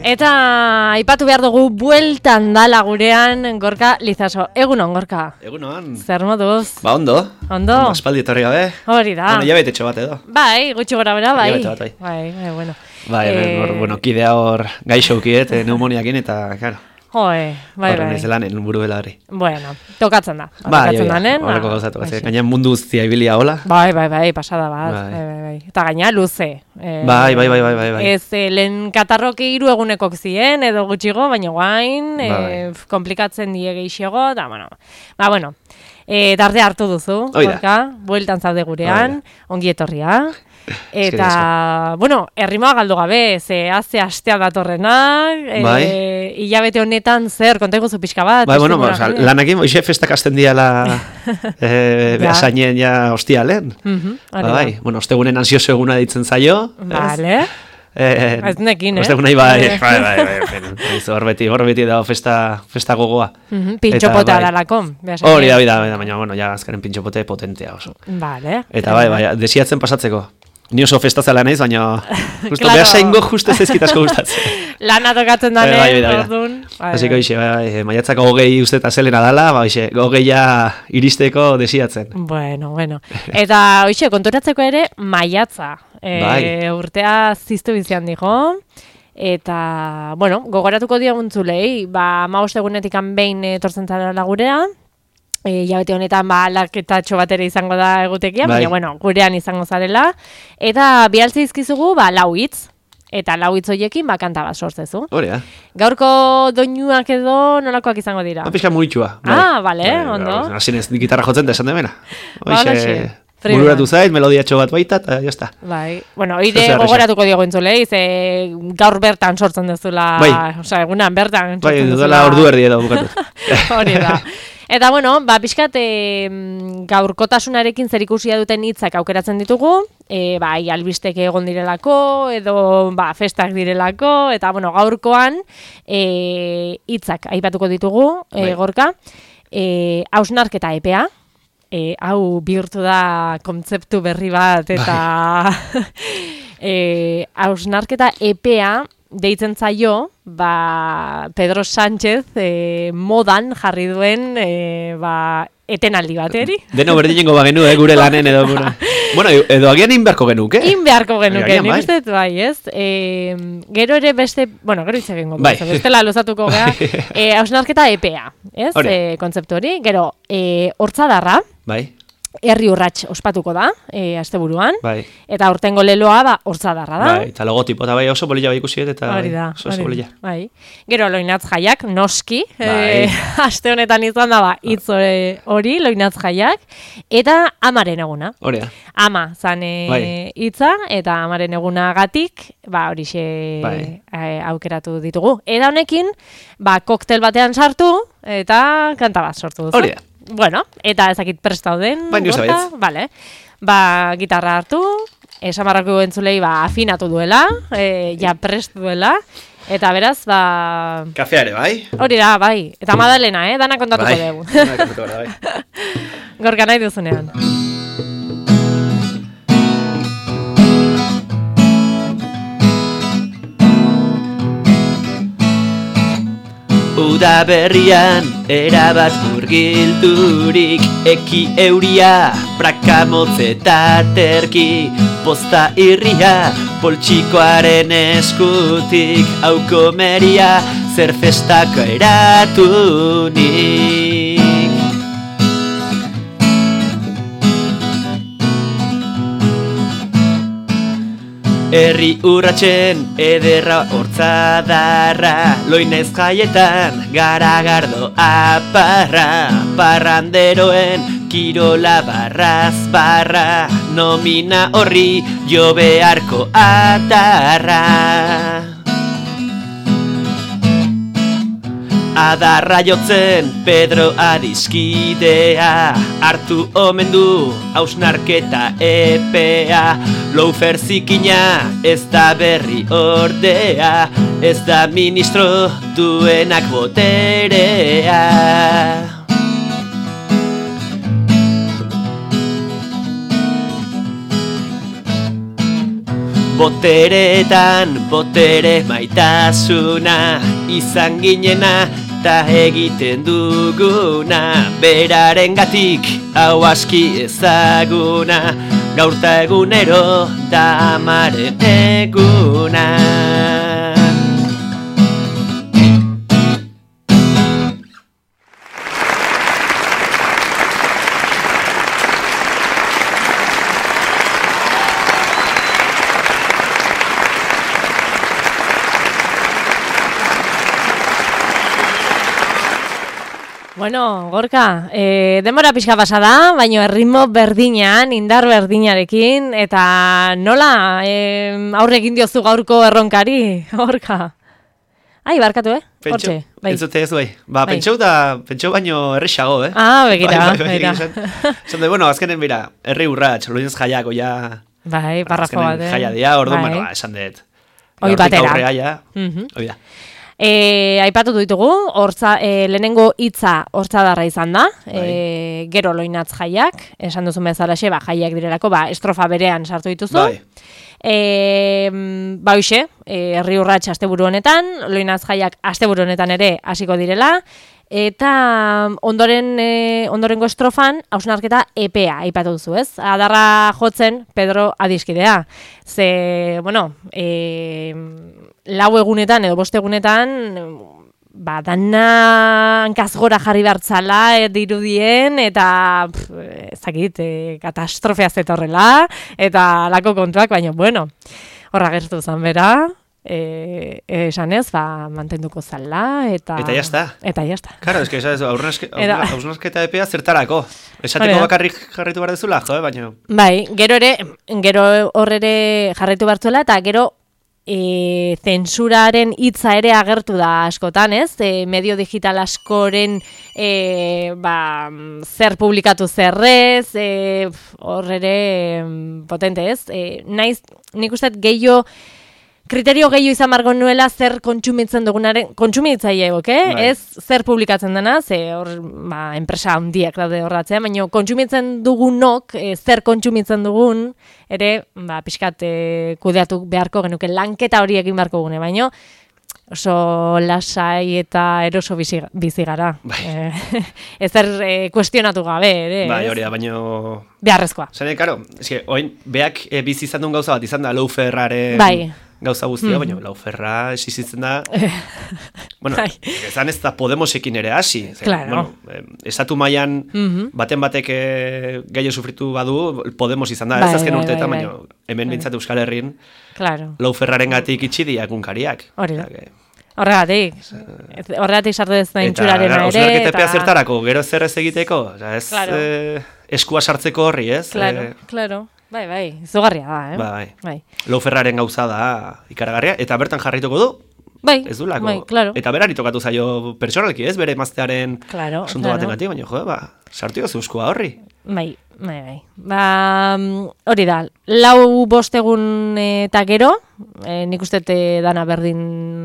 Eta aipatu behar dugu bueltan dala gurean Gorka Lizaso. Egunon, Gorka. Egunon. Zer moduz? Ba, ondo. Ondo. Aspaldi etorri gabe. Hori da. Bueno, jabete txo bat edo. Bai, gutxi gora bera, bai. Jabete bat, bai. Bai, bueno. Bai, kidea hor gaixoukiet, pneumoniakin eta, claro. Bai. Horren ez lanen, buru bela hori. Bueno, tokatzen da. Bai, horreko gauzatu. Gainean mundu guztia ibilia hola. Bai, pasada bat. Bai. Eta gaina luze. Bai. Ez lehen katarroki 3 egunekok zien, edo gutxigo, baina guain, komplikatzen die gehiago, eta bueno. Tarde hartu duzu, Gorka, bueltan zaude gurean, ongi etorria. Eta, bueno, errimoa galdu gabe, ze haze astea datorrenak, hilabete honetan zer, konta iguzu pixka bat. Bai, bueno, lanakin, oixe festak azten diala behasainen ja hostialen. Bai, bueno, ostegunen ansioso eguna ditzen zaio. Vale. Ez nekin, Ostegun nahi bai. Hor beti dago festa gogoa. Pintxopota dalako. Hori da, baina, bueno, ja azkaren pintxopote potentea oso. Vale. Eta bai, desiatzen pasatzeko. Ni oso festazela naiz, baina justo behasaingo justo ezkitasko gustatzen. Lana tokatzen dane, ordun. Así que hoxe, maiatzako 20 uste eta zelena dala, hoxe, 20 iristeko desiatzen. Bueno. Eta hoxe, konturatzeko ere, maiatza. Urtea ziztu bizian dijo. Eta, bueno, gogoratuko dioguntzulei, 15 egunetik behin etortzen zara gurea. Jabete honetan aldaketatxo bat ere izango da egutekia, baina bueno, gurean izango zarela. Eta bialtze izkizugu 4 hitz. Eta 4 hitz horiekin kanta bat sortzezu. Horea. Gaurko doinuak edo nolakoak izango dira? Pixka muritxua. Bale, ondo. Hasinez gitarra jotzen da esan demena. Bururatu zait, melodiatxo bat baita, eta jazta. Bai, bueno, oire gogoratuko diogu entzulei, ze gaur bertan sortzen dezula, osea, egunan bertan sortzen dezula. Bai, dudala ordu erdi edo bukatu. Hori da. Eta bueno, pixkat gaurkotasunarekin zerikusia duten hitzak aukeratzen ditugu, bai albistek egon direlako, edo festak direlako, eta bueno, gaurkoan hitzak aipatuko ditugu, Gorka, hausnarketa epea, hau bihurtu da kontzeptu berri bat, eta hausnarketa epea deitzen zaio, Pedro Sánchez modan jarri duen etenaldi bateri. Deno berdinengo bagenu, gure lanen edo gure. Bueno, edo agian inbeharko genuke? Inbeharko genuke, nik uste dut bai, ez? Gero ere beste, bueno, gero itxekin gotu, bestela luzatuko geha, hausnarketa EPEA, ez? Kontzeptu hori, gero, hortzadarra, bai. Herri urrats ospatuko da, asteburuan, eta aurtengo leloa hortzadarra da. Bai, eta logotipo, eta bai oso bolilla bai ikusiet, eta oso bolilla. Bai. Gero loinatz jaiak, noski, aste honetan izan da, hitz hori, loinatz jaiak, eta amaren eguna. Horea. Ama, zan hitza, eta amaren egunagatik, horixe aukeratu ditugu. Eta honekin, koktel batean sartu, eta kanta bat sortu duzu. Horea. Bueno, eta ezakit prestauden. Baina usabaitz. Vale. Gitarra hartu, esamarrako entzulei afinatu duela, ja prest duela, eta beraz, Kafeare, bai? Hori da, bai. Eta Madalena, dana kontatuko dugu. Dana kontatuko da, bai. Gorka nahi duzunean. Uda berrian erabat murgildurik, eki euria, praka motzeta terki, posta irria, poltsikoaren eskutik, aukomeria, zer festako eratunik. Herri urratsen ederra hortzadarra, loinez jaietan garagardo aparra, parranderoen kirola barraz barra, nomina horri jo beharko atarra. Adarra jotzen Pedro adiskidea, hartu omen du hausnarketa epea, Loufer zikina ez da berri ordea, ez da ministro duenak boterea. Boteretan, botere maitasuna, izan ginena, ta egiten duguna, berarengatik hau aski ezaguna, gaurta egunero da amaren eguna. Bueno, Gorka, denbora pixka pasa da, baina erritmo berdinean, indar berdinarekin, eta nola aurre egin diozu gaurko erronkari, Gorka? Ai, barkatu, Hortxe, bai. Entzute ez bai. Pentsau baino errexago, Ah, begira, begira. Zonde, bueno, azkenen bira, herri urratx, loinez jaiako ja... Bai, parrafo bat, jaia dia, orduan, bueno, esan dut. Hoi batera. Aurrea ja, hoi da. Aipatu ditugu, lehenengo hitza hortzadarra izan da, gero loinatz jaiak, esan duzun bezalaxe, jaiak direlako, estrofa berean sartu dituzu. Hoxe, herri urrats asteburu honetan, loinatz jaiak asteburu honetan ere hasiko direla, eta ondorengo estrofan hausnarketa epea aipatu duzu, ez? Adarra jotzen Pedro adiskidea. Ze, bueno, 4 egunetan edo 5 egunetan dana hankazgora jarri bertzala dirudien eta ezakit, katastrofea zetorrela eta lako kontuak, baina bueno, horra gertu zan bera. Esan ez, mantenduko zala eta jazta. Eta jazta. Claro, es que hausnarketa epea zertarako. Esateko bakarrik jarraitu behar dezula, baina... Bai, gero horrere jarraitu behartzuela eta gero zensuraren hitza ere agertu da askotan, ez? Medio digital askoren zer publikatu zerrez, horrere potente, ez? Nik uste kriterio gehiago izan margo nuela zer kontsumitzen dugunaren, kontsumitzaile ez zer publikatzen dena, ze hor enpresa handiak daude horratzea, baina kontsumitzen dugunok, zer kontsumitzen dugun, ere, pixkat kudeatu beharko genuke, lanketa hori egin beharko gune, baina oso lasai eta eroso bizi gara. Ezer kuestionatu gabe, ere. Bai, hori da, baina... Beharrezkoa. Zene, karo, oin, beak bizi izan duen gauza bat izan da Lauferraren... Bai. Gauza guztia, baina Lauferra esizitzen da... Bueno, ezan ez da Podemosekin ere hasi. Claro. Estatu mailan baten batek gehiago sufritu badu, Podemos izan da, ez azken urteetan, baina hemen bintzat Euskal Herrin, Lauferraren gatik itxidiak unkariak. Hori da. Horregatik sartu ez da intxuraren ere. Eta hausnarketa epea zertarako, gero zer ez egiteko, ez eskua sartzeko horri, ez? Claro. Bai, izugarria da, Bai. Lauferraren gauza da ikaragarria, eta bertan jarrituko du? Bai, ez du lako. Bai, claro. Eta berari tokatu zaio pertsonalki, ez? Bere maztearen asunto baten gati, baina sartu jozu eskua horri. Bai. Hori da, 4-5 egun eta gero, nik uste dana berdin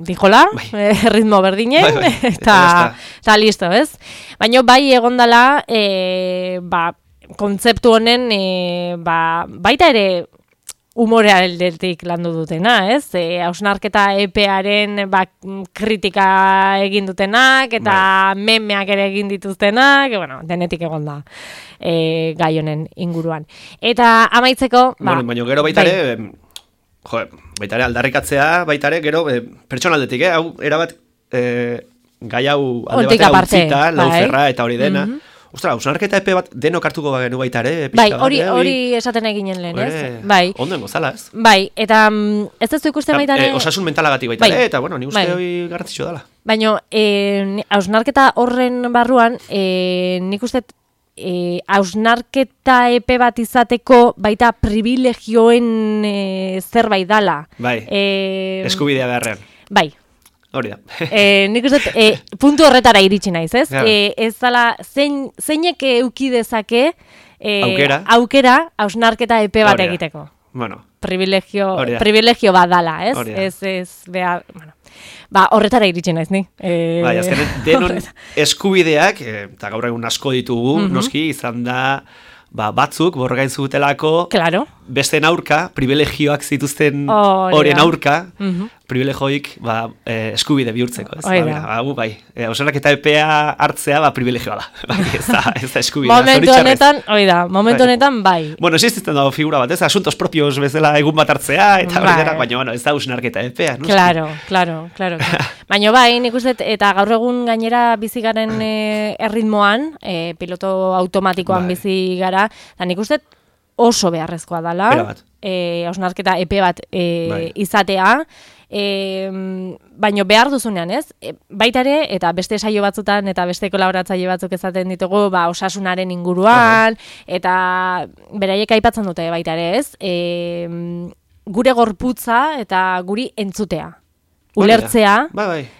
dijola, ritmo berdinen, eta listo, ez? Baina bai egondala, kontzeptu honen baita ere humorea aldetik landu dutena, ez? Hausnarketa epearen kritika egin dutenak eta memeak ere egin dituztenak, denetik egon da gai honen inguruan. Eta amaitzeko... Baina gero baita ere, baita ere aldarrikatzea, baita ere gero pertsonaldetik, hau erabat gai hau alde batera utzita, Lauferra eta hori dena. Ostra, hausnarketa epe bat denok hartuko bagenu baita ere. Bai, hori esaten eginen lehen, ez? Bai. Ondo engozala, ez? Bai, eta ez duzu ikusten baita ere... Osasun mentalagatik baita ere, eta ni uste hori garrantzitsua dela. Baina, hausnarketa horren barruan, nik uste hausnarketa epe bat izateko baita privilegioen zerbait dala. Bai, eskubidea beharrean. Bai. Hori da. Nik uste, puntu horretara iritsi naiz, ez? Ez dala, zeinek euki dezake aukera hausnarketa epe bat egiteko. Bueno. Privilegio bat dala, ez? Ez behar, horretara iritsi naiz, ni. Bai, azkenean, denon eskubideak, eta gaur egun asko ditugu, noski, izan da, batzuk borrokain zutelako claro. Besteen aurka, privilegioak zituzten horien aurka, privilegioik eskubide bihurtzeko. Bai, osanak eta epea hartzea privilegioa da. Ez da eskubidea. Momentu honetan, bai. Bueno, existitzen dago figura bat, ez? Asuntos propios bezala egun bat hartzea, eta horretara, baina ez da usnarketa epea. Claro. Baina bai, nik uste, eta gaur egun gainera bizi garen erritmoan, piloto automatikoan bizi gara, eta nik uste oso beharrezkoa dela, hausnarketa epe bat izatea, baino behar duzunean, ez? Baita ere, eta beste saio batzutan, eta beste kolaboratzaile batzuk ezaten ditugu, osasunaren inguruan, eta beraiek aipatzen dute baita ere, ez? Gure gorputza eta guri entzutea. Ulertzea,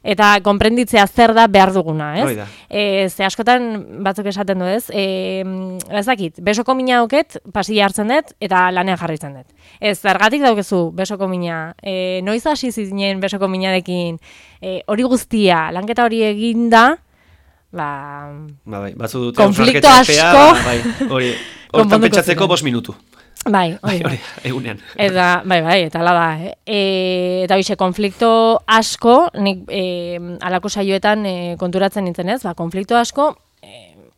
eta konprenditzea zer da behar duguna, ez? Ze askotan batzuk esaten du, ez? Ez dakit, besoko mina auket, pasilla hartzen dut, eta lanean jarritzen dut. Ez, zergatik daukezu besoko mina, noiz hasi zinen besoko minarekin, hori guztia, lanketa hori eginda, konflikto asko, hortan pentsatzeko 5 minutu. Bai, egunean. Eta, eta ala da. Eta bixe, konflikto asko, nik alako saioetan konturatzen nintzen ez, konflikto asko,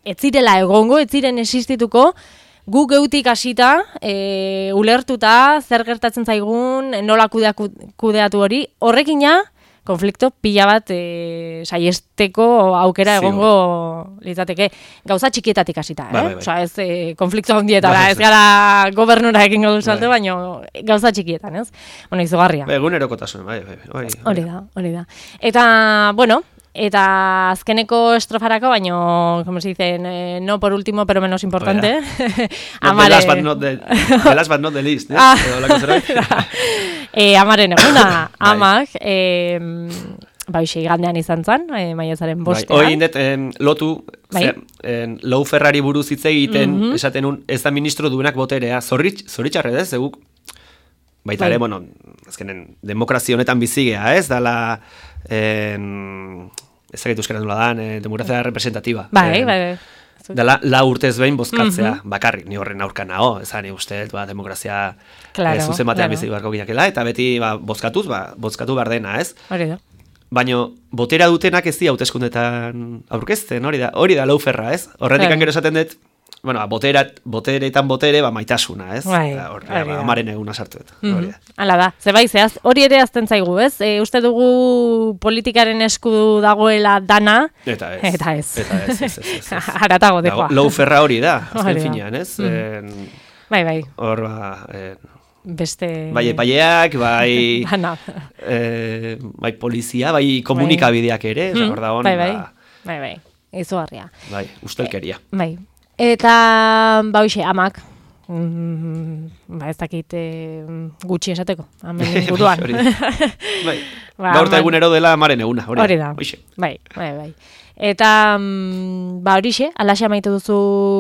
ez zirela egongo, ez ziren existituko, gu geutik hasita, ulertuta, zer gertatzen zaigun, nola kudeatu hori, horrekina, konflikto pila bat saiesteko aukera egongo litzateke gauza txikietatik hasita, Osea, ez konflikto handietara, ez gara gobernura egingo du salto, baina gauza txikietan, ez? Bueno, izugarria. Egunerokotasun, hori da. Eta, bueno, eta azkeneko estrofarako, baino, como se dice, no por último, pero menos importante. The last but not the least, Amaren eguna, amak, igandean izan zen, maiatzaren 5. Hoi indet, lotu, Lau Ferrari buruz hitz egiten, esaten ez da ministro duenak boterea, zoritxarre ez, eguk, baita ere, bueno, azkenen, demokrazia honetan bizigea, ez, dala, ezagetu euskara nola dan, demokrazia representativa. Bai. Dela, 4 urtez behin bozkatzea, bakarrik, ni horren aurka nago, ezan uste, demokrazia zuzen batean bizi barko ginakela, eta beti bozkatu behar dena, ez? Hori da. Baina, botera dutenak ez di hauteskundetan aurkezten, hori da lauferra, ez? Horretik gero esaten dut, bueno, boteretan botere, maitasuna, ez? Amaren eguna sartu dut. Hala da, zehaz, hori ere azten zaigu, ez? Uste dugu politikaren esku dagoela dana, eta ez. Haratago dekoa. Lauferra hori da, azken finean, ez? Bai. Hor, beste... Bai epaileak, bai polizia, bai komunikabideak ere, hor da hon. Bai, izugarria. Bai, ustelkeria. Bai. Eta, hoxe, amak, ez dakit gutxi esateko, amen inguruan. Bai, gaurta egunero dela amaren eguna, hori da. Bai. Eta, horixe, alaxe amaitu duzu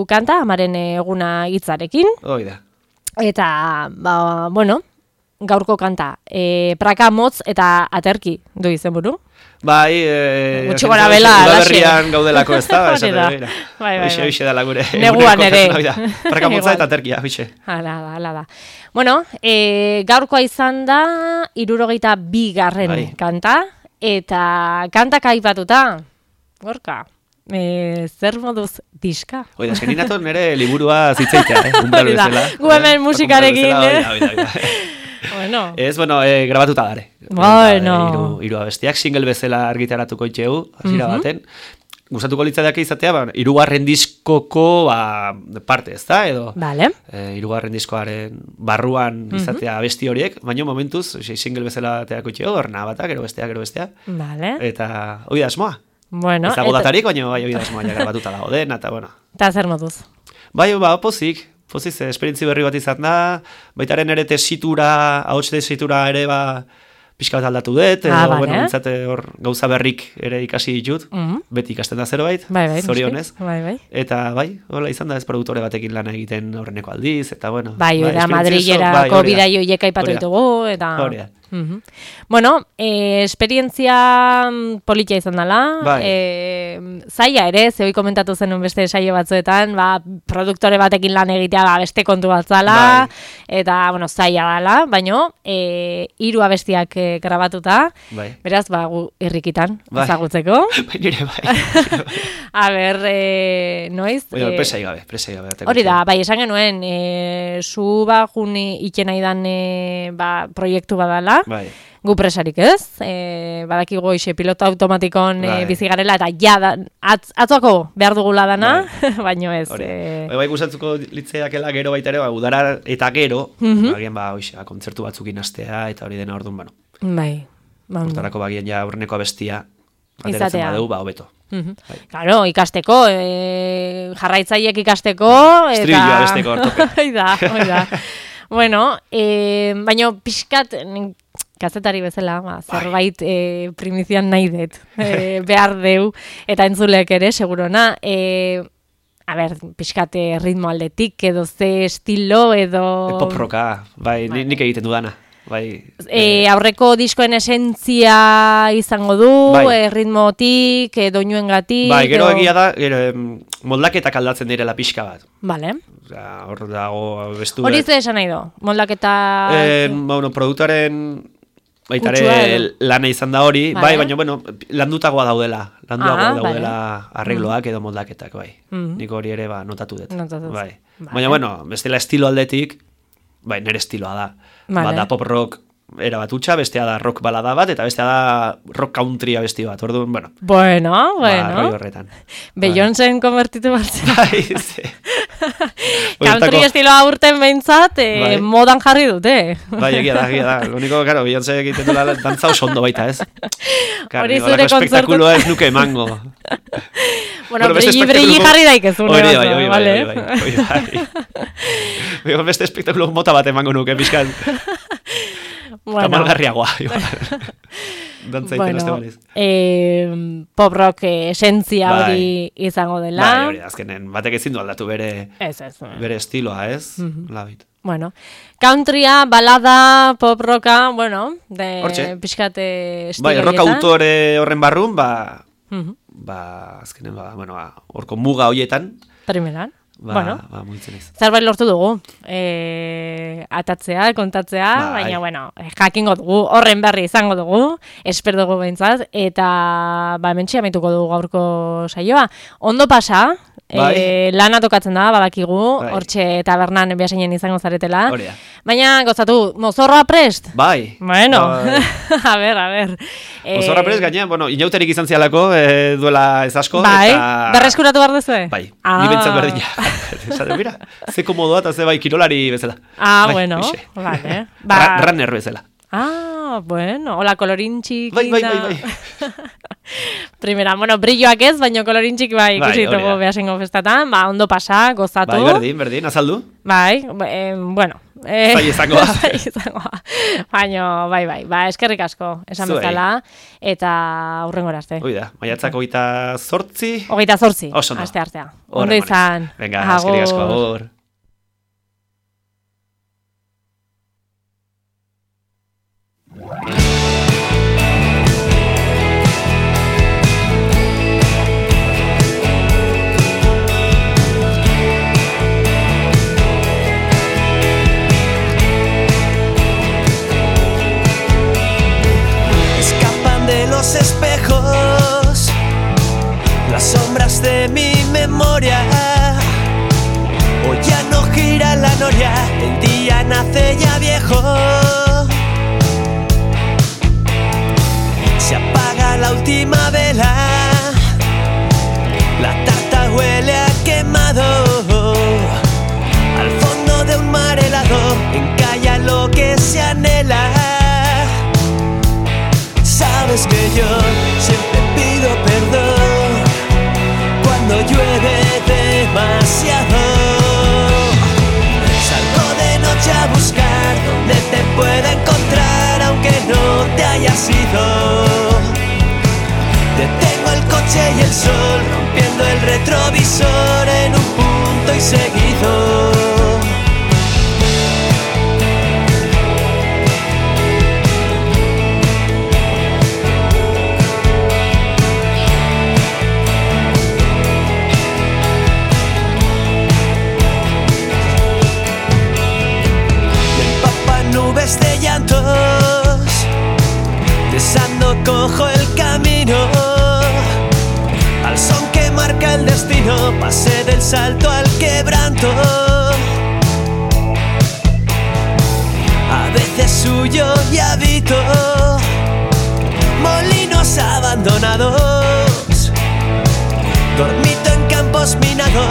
kanta, amaren eguna hitzarekin. Hoi da. Eta, bueno, gaurko kanta, praka motz eta aterki du izenburu. Bai, gutxi gora bela, udaberrian gaudelako ez da, Bai. Hoxe dela gure. Neguan ere. Praka motza eta aterkia, hoxe. Hala da. Bueno, gaurkoa izan da, 62. kanta, eta kantak aipatuta, gorka. Zer moduz diska? Oida, eskenin ato nire liburua zitzeitea, umbral bezala. Gu hemen musikarekin, Bueno. Ez, grabatuta dare. Bueno. Hiru abestiak, single bezala argitaratuko itxegu, hasira baten. Gustatuko litzateak izatea, 3. diskoko parte, ez da, edo? Vale. 3. diskoaren barruan izatea abesti horiek, baina momentuz, single bezala teako itxegu, horna batak, gero bestea. Vale. Eta, hoi da asmoa. Bueno. Ez dago datarik, baina hoi da asmoa grabatuta dago den, eta bueno. Eta zer moduz? Bai, pozik, esperientzi berri bat izan da, baitaren ere ahots tesitura ere pixka bat aldatu dut, edo, hor gauza berrik ere ikasi ditut, beti ikasten da zerbait, zorionez. Eta hola izan da ez produktore batekin lana egiten horreneko aldiz, eta bueno. Madrilerako bidaioiek aipatu ditugu, eta... Bueno, esperientzia politia izan dela, zaila ere, zehoi komentatu zenun beste saio batzuetan, produktore batekin lan egitea beste kontu bat zala, eta, bueno, zaila dela, baina 3 abestiak grabatuta, beraz, gu irrikitan, ezagutzeko. Nire A ber, noiz? Presai gabe. Hori da, esan genuen, zu juni ikena idan proiektu badala, gu presarik ez, badakigu ixe piloto automatikon bizigarela, eta atzoko behar dugula dana, baino ez. Bai guztatzuko litzeakela gero baita ere, udara eta gero, bagien kontzertu batzukin astea, eta hori dena orduan, bueno. Bai. Hortarako bagien ja aurreneko abestia, ateratzen badeu, hobeto. Claro, ikasteko, jarraitzaiek ikasteko, eta... Estribilloa abesteko ortope. Oida. Bueno, baina pixkat, kazetari bezala, zerbait primizian nahi dut, behar deu, eta entzulek ere, segurona, a ber, pixkat ritmo aldetik, edo ze estilo, edo... Pop-rocka, nik egiten dudana. Aurreko diskoen esentzia izango du, ritmotik, doinuengatik... Gero egia da, moldaketak aldatzen direla pixka bat. Vale. Hor dago bestu... Hori ze esan nahi do? Moldaketa... Produktuaren baitare lana izan da hori, baina, landutagoa daudela. Daudela arregloak edo moldaketak, Nik hori ere notatu dut. Baina, bestela estilo aldetik, nire estiloa da. Da pop rock era bat utxa, bestea da rock balada bat, eta bestea da rock country abesti bat. Orduan, Bueno. Roi horretan. Beyoncéen konvertitu batzen. Bai, country estiloa urten behintzat, modan jarri dute. Egia da. Lo único, claro, Beyoncé egiten dula dantza oso ondo baita, ez? Hori zure kontzertu. Espektakuloa ez nuke emango. Bueno, brilli jarri daikezun. Hori bai. Beste espektakulo mota bat emango nuke, pixkan. Tamalgarriagoa. Dantza iten azte baliz. Pop rock esentzia hori izango dela. Hori azkenen, batek ezin du aldatu bere estiloa, ez? Labit. Bueno, countrya, balada, pop rocka, pixkate estilo rock autore horren barrun, azkenen, horko muga hoietan. Primeran. Zerbait lortu dugu, atatzea, kontatzea, baina, jakingo dugu, horren berri izango dugu, esper dugu behintzat, eta hementxe amaituko dugu gaurko saioa. Ondo pasa, lana tokatzen da, badakigu, hortxe tabernan behaseinen izango zaretela, baina gozatu, mozorroa prest? Bueno, a ber. Mozorroa prest, gaina, inauterik izan zialako, duela ez asko. Berreskuratu behar duzue? Ni bentzat berdina. Mira, ze komodoa eta ze kirolari bezala. Bueno, vale. Runner bezala. Hola, kolorintxik. Bai. Primera, brilloak ez, baina kolorintxik ikusitugu behasengo festatan, ondo pasa, gozatu. Berdin, azaldu. Zai izangoa. Baina, eskerrik asko, esan bezala, eta hurrengora arte. Oida, maiatzak 28. 28, aste artea. Ondo izan. Venga, eskerrik asko, agur. Los espejos, las sombras de mi memoria. Hoy ya no gira la noria, el día nace ya viejo. Se apaga la última vela, la tarta huele a quemado. Al fondo de un mar helado encalla lo que se anhela. Sabes que yo siempre pido perdón cuando llueve demasiado. Salgo de noche a buscar donde te pueda encontrar aunque no te hayas ido. Detengo el coche y el sol rompiendo el retrovisor en un punto y seguido. recojo el camino al son que marca el destino. Pasé del salto al quebranto, a veces huyo y habito molinos abandonados, dormito en campos minados.